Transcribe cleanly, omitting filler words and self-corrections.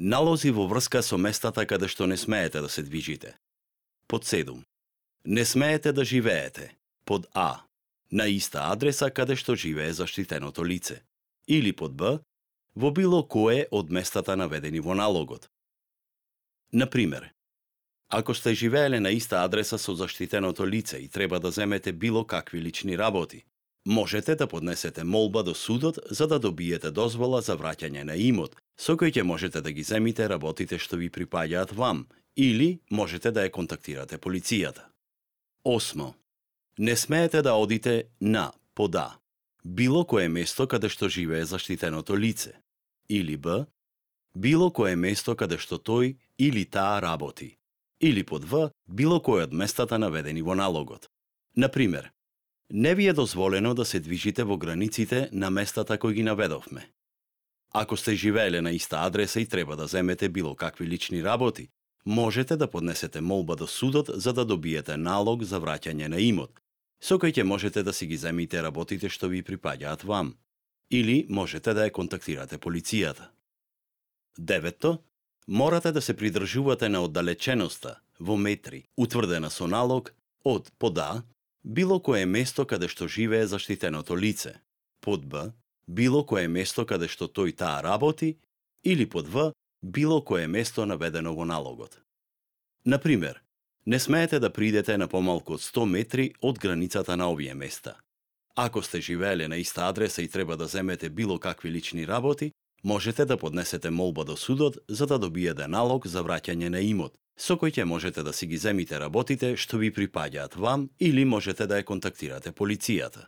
Налози во врска со местата каде што не смеете да се движите. Под 7. Не смеете да живеете. Под А. На иста адреса каде што живее заштитеното лице. Или под Б. Во било кое од местата наведени во налогот. Например, ако сте живееле на иста адреса со заштитеното лице и треба да земете било какви лични работи, можете да поднесете молба до судот за да добиете дозвола за враќање на имот, со кој ќе можете да ги земите работите што ви припаѓаат вам, или можете да ја контактирате полицијата. 8. Не смеете да одите на под А. Било кое место каде што живее заштитеното лице. Или Б. Било кое место каде што тој или таа работи. Или под В. Било кое од местата наведени во налогот. Например, не ви е дозволено да се движите во границите на местата кои ги наведовме. Ако сте живееле на иста адреса и треба да земете било какви лични работи, можете да поднесете молба до судот за да добиете налог за враќање на имот, со кој ќе можете да си ги земите работите што ви припаѓаат вам, или можете да ја контактирате полицијата. 9. Морате да се придржувате на оддалеченоста во метри, утврдена со налог од под А, било кое место каде што живее заштитеното лице, под Б, било кое место каде што тој таа работи, или под В, било кое место наведено во налогот. Например, не смеете да придете на помалку од 100 метри од границата на овие места. Ако сте живееле на иста адреса и треба да земете било какви лични работи, можете да поднесете молба до судот за да добиете налог за враќање на имот, со кој ќе можете да си ги земите работите што ви припаѓаат вам или можете да ја контактирате полицијата.